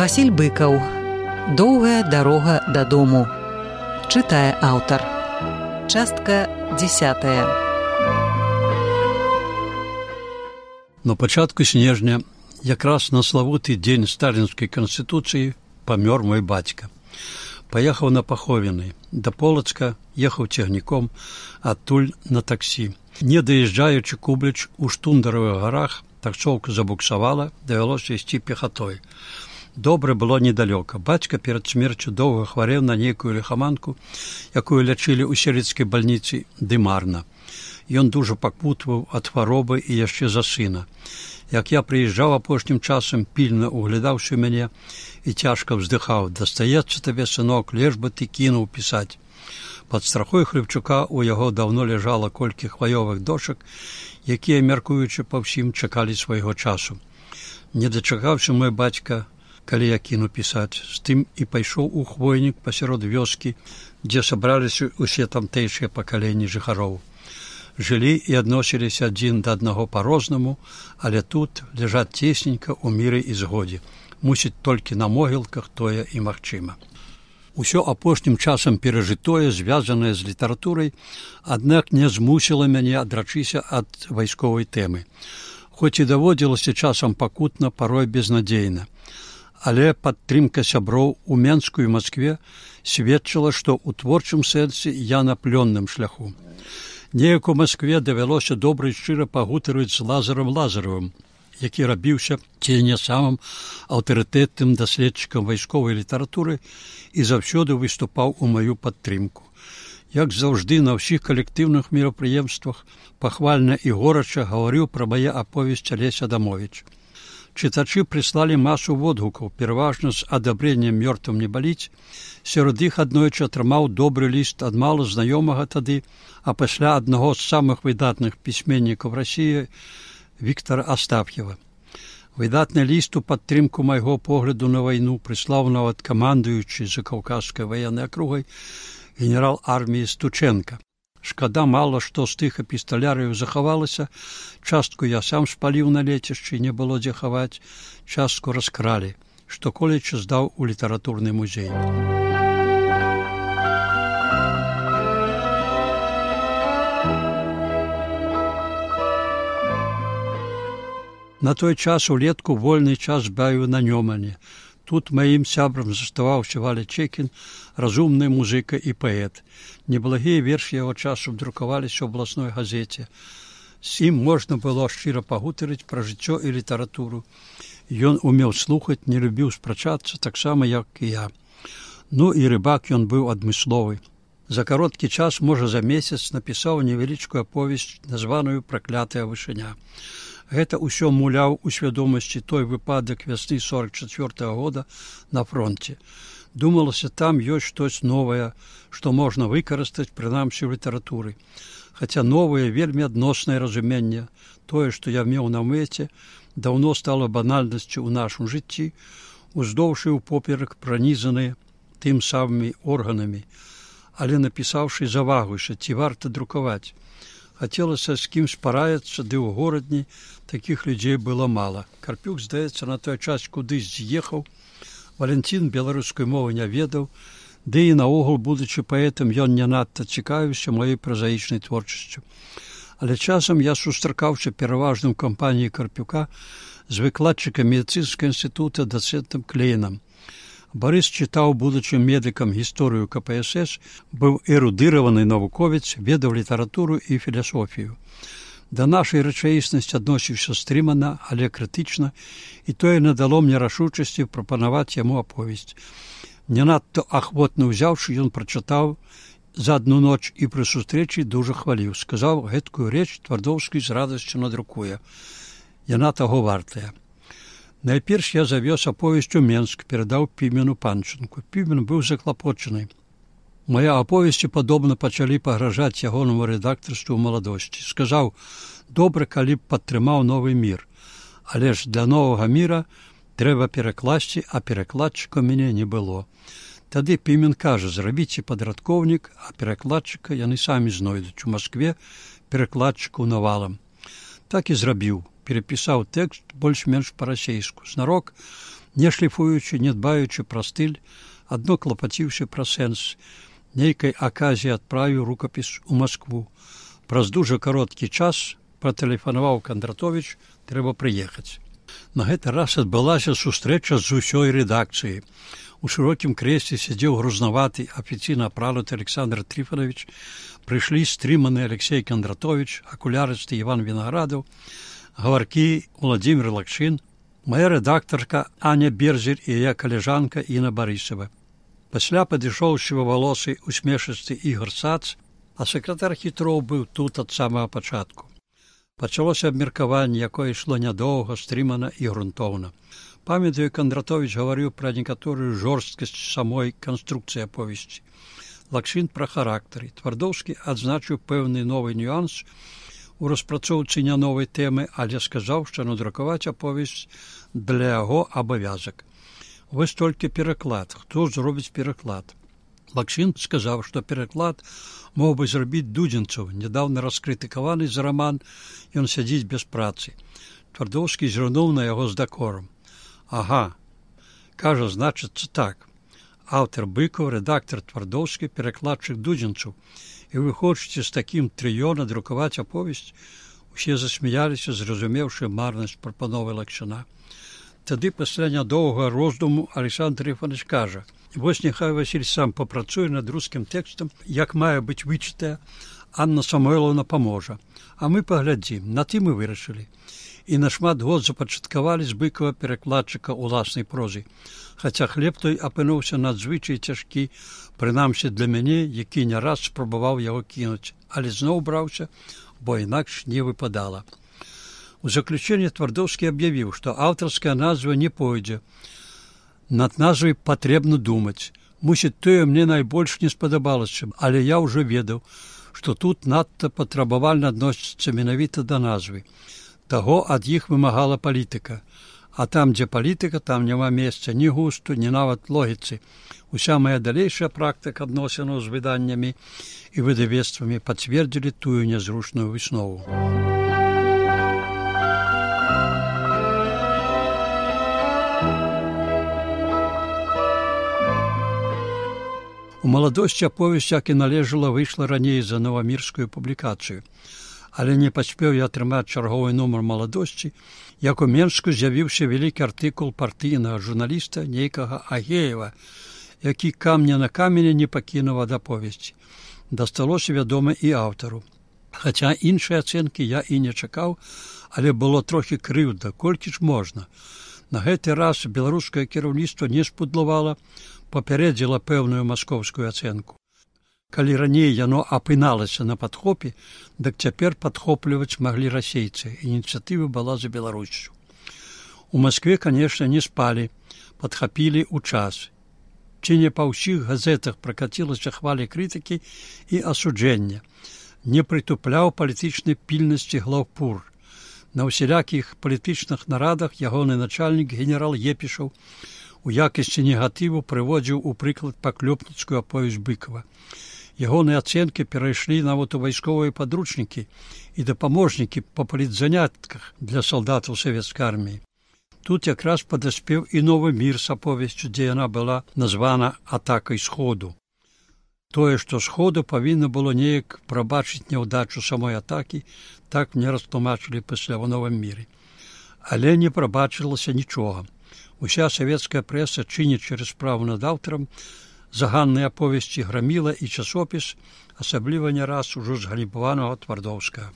Васіль Быкаў. Доўгая дарога дадому. Чытае аўтар. Частка 10. На пачатку снежня, якраз на славуты дзень сталінскай канстытуцыі, памёр мой бацька. Паехаў на паховіны. Да Полацка ехаў цягніком, адтуль на таксі. Не даязджаючы Кубліч у Штундаравых гарах, таксоўка забуксавала, давялося ісці пехатой. Добра было недалёка. Бацька перад смерцю доўга хварэў на нейкую ліхаманку, якую лячылі ў селіцкай бальніцы, ды марна. Ён дужа пакутваў ад хваробы і яшчэ за сына. Як я прыязджаў апошнім часам, пільна углядаўшы мяне і цяжка ўздыхаў: «Дастаецца табе, сынок, леш бы ты кінуў пісаць». Пад страхой Хлебчука у яго даўно ляжала колькі хваёвых дошак, якія, мяркуючы па ўсім, чакалі свайго часу. Не дачакаўся мой бацька, калі я кіну пісаць, з тым і пайшоў у хвойнік пасярод вёскі, дзе сабраліся ўсе тамтэйшыя пакаленні жыхароў. Жылі і адносіліся адзін да аднаго па-рознаму, але тут ляжаць цесненька ў міры і згодзе. Мусіць, толькі на могілках тое і магчыма. Усё апошнім часам перажытое, звязанае з літаратурай, аднак не змусіла мяне адрачыся ад вайсковай тэмы. Хоць і даводзілася часам пакутна, парой безнадзейна. Але падтрымка сяброў у Менску і Маскве сведчыла, што ў творчым сэнсе я на плённым шляху. Неяк у Маскве давялося добра і шчыра пагутарыць з Лазарам Лазаровым, які рабіўся ці не самым аўтарытэтным даследчыкам вайсковай літаратуры і заўсёды выступаў у маю падтрымку. Як заўжды на ўсіх калектыўных мерапрыемствах пахвальна і горача гаварыў пра мае аповесці Алесь Адамовіч. Чытачы прыслалі масу водгукаў, пераважна з адабрэннем «Мёртвым не баліць». Сярод іх аднойчы атрымаў добры ліст ад мала знаёмага тады, а пасля аднаго з самых выдатных пісьменнікаў Расіі Віктара Астаф'ева. Выдатны ліст у падтрымку майго погляду на вайну прыслаў нават камандуючы Закаўказскай ваеннай акругай генерал арміі Стученка. Шкада, мала што з тых эпісталярыяў захавалася, частку я сам спаліў на лецішчы, не было дзе хаваць, частку раскралі, што колечы здаў у літаратурны музей. На той час улетку вольны час бавіў на Нёмане. Тут маім сябрам заставаўся Валя Чекін, разумны музыка і паэт. Неблагія вершы яго часу друкаваліся ў абласной газеце. З ім можна было шчыра пагутарыць пра жыццё і літаратуру. Ён умеў слухаць, не любіў спрачацца, таксама, як і я. Ну і рыбак ён быў адмысловы. За кароткі час, можа за месяц, напісаў невялічкую аповесць, названую «Праклятая вышыня». Гэта ўсё муляў у свядомасці той выпадак вясны 44-го года на фронте. Думалася, там ёсць штось новае, што можна выкарыстаць, прынамсі, ў літаратуры. Хаця новае, вельмі адноснае разуменне, тое, што я меў на мэце, даўно стала банальнасцю ў нашым жыцці, уздоўж і ўпоперак пранізаныя тым самымі органамі, але напісаўшы завагуйся, ці варта друкаваць. Хацелася з кім спараяцца, ды ў горадні такіх людзей было мала. Карпюк, здаецца, на той час кудысь з'ехаў, Валянцін беларускай мовы не ведаў, ды і наогул, будучы паэтам, ён не надта цікавіўся маёй празаічнай творчасцю. Але часам я сустракаўся пераважна ў кампаніі Карпюка з выкладчыкам медыцынскага інстытута дацэнтам Клейнам. Барыс чытаў будучым медыкам гісторыю КПСС, быў эрудыраваны навуковец, ведаў літаратуру і філасофію. Да нашай рэчаіснасці адносіўся стрымана, але крытычна, і тое надало мне рашучасці прапанаваць яму аповесць. Не надта ахвотна ўзяўшы, ён прачытаў за адну ноч і пры сустрэчы дужа хваліў. Сказаў, гэткую рэч Твардоўскі з радасцю надрукуе. Яна таго вартая. Найперш я завёз аповесць у Менск, перадаў Пімену Панчынку. Пімен быў заклапочаны. Мае аповесці падобна пачалі пагражаць ягонаму рэдактарству ў маладосці. Сказаў, добра, калі б падтрымаў новы мір. Але ж для новага міра трэба перакласці, а перакладчыка мяне не было. Тады Пімен кажа, зрабіце падрадкоўнік, а перакладчыка яны самі знойдуць. У Маскве перакладчыкаў навалам. Так і зрабіў. Перепісаў тэкст больш-менш па-расейску. Знарок не шліфуючы, не дбаючы пра стыль, адно клапаціўся пра сэнс. Нейкай аказіі адправіў рукапіс у Маскву. Праз дужа кароткі час патэлефанаваў Кандратовіч, трэба прыехаць. На гэты раз адбылася сустрэча з усёй рэдакцыяй. У шырокім крэсле сядзеў грузнаваты, афіцыйна апрануты Александр Трифонович, прыйшлі стрыманы Алексей Кандратович, акулярысты Іван Вінаградаў, гаваркі Владимир Лакшин, моя рэдактарка Аня Берзель і яе калежанка Інна Барысава. Пасля падышоў сівавалосы усмешысты Ігор Сац, а сакратар Хітроў быў тут ад самага пачатку. Пачалося абмеркаванне, якое ішло нядоўга, стрымана і грунтоўна. Памятаю, Кандратович гаварыў пра некаторую жорсткасць самой канструкцыі аповесці. Лакшин пра характары. Твардоўскі адзначыў пэўны новы нюанс у распрацоўцы не новай тэмы, але сказаў, што надрукаваць аповесць для яго абавязак. Вось толькі пераклад. Хто зробіць пераклад? Лакшин сказаў, што пераклад мог бы зрабіць Дудзенцаў, нядаўна раскрытыкаваны за раман «Ён сядзіць без працы». Твардоўскі зірнуў на яго з дакорам. Ага, кажа, значыцца так. Аўтар Быкаў, рэдактар Твардоўскі, перакладчык Дудзенцаў. І вы хочаце з такім трыё надрукаваць аповесць? Усе засмяяліся, зразумеўшы марнасць прапановы Лакшина. Тады пасля нядоўгага роздуму Александр Трифонович кажа: вось няхай Васіль сам папрацуе над рускім тэкстам, як мае быць вычытая, Анна Самойлаўна паможа. А мы паглядзім, на тым і вырашылі. І на шмат год запачаткавалі з Быкава перакладчыка ўласнай прозы. Хаця хлеб той апынуўся надзвычай цяжкі, прынамсі для мяне, які не раз спрабаваў яго кінуць, але зноў браўся, бо інакш не выпадала. У заключэнне Твардоўскі аб'явіў, што аўтарская назва не пойдзе. Над назвай патрэбна думаць. Мусіць, тое мне найбольш не спадабалася, але я ўжо ведаў, што тут надта патрабавальна адносіцца менавіта да назвы. Таго ад іх вымагала палітыка. А там, дзе палітыка, там няма месца ні густу, ні нават логіцы. Уся моя далейшая практыка адносінаў з выданнямі і выдавецтвамі пацвердзілі тую нязручную выснову. У маладосці аповесць, як і належала, выйшла раней за новамірскую публікацыю. Але не паспеў я атрымаць чарговы нумар маладосці, як у Менску з'явіўся вялікі артыкул партыйнага журналіста нейкага Агеева, які камня на камені не пакінуў ад аповесці. Дасталося, вядома, і аўтару. Хаця іншай ацэнкі я і не чакаў, але было трохі крыўда, колькі ж можна. На гэты раз беларускае кіраўніцтва не спудлавала, папярэдзіла пэўную маскоўскую ацэнку. Калі раней яно апыналася на падхопе, дык цяпер падхопліваць маглі расейцы. Ініцыятыва была за Беларусю. У Маскве, канешне, не спалі, падхапілі ў час. Ці не па ўсіх газетах пракацілася хваля крытыкі і асуджэння. Не прытупляў палітычнай пільнасці глаўпур. На ўсялякіх палітычных нарадах ягоны начальнік генерал Епішаў у якасці негатыву прыводзіў у прыклад паклёпніцкую аповесць Быкава. Ягоныя ацэнкі перайшлі нават у вайсковыя падручнікі і дапаможнікі па палітзанятках для салдатаў савецкай арміі. Тут якраз падаспеў і новы мір з аповесцю, дзе яна была названа атакай сходу. Тое, што сходу павінна было неяк прабачыць няўдачу самой атакі, так мне растлумачылі пасля ў новым міры. Але не прабачылася нічога. Уся савецкая прэса чыніць через справу над аўтарам, заганныя аповесці граміла і часопіс, асабліва не раз ужо згалібаванага Твардоўскага.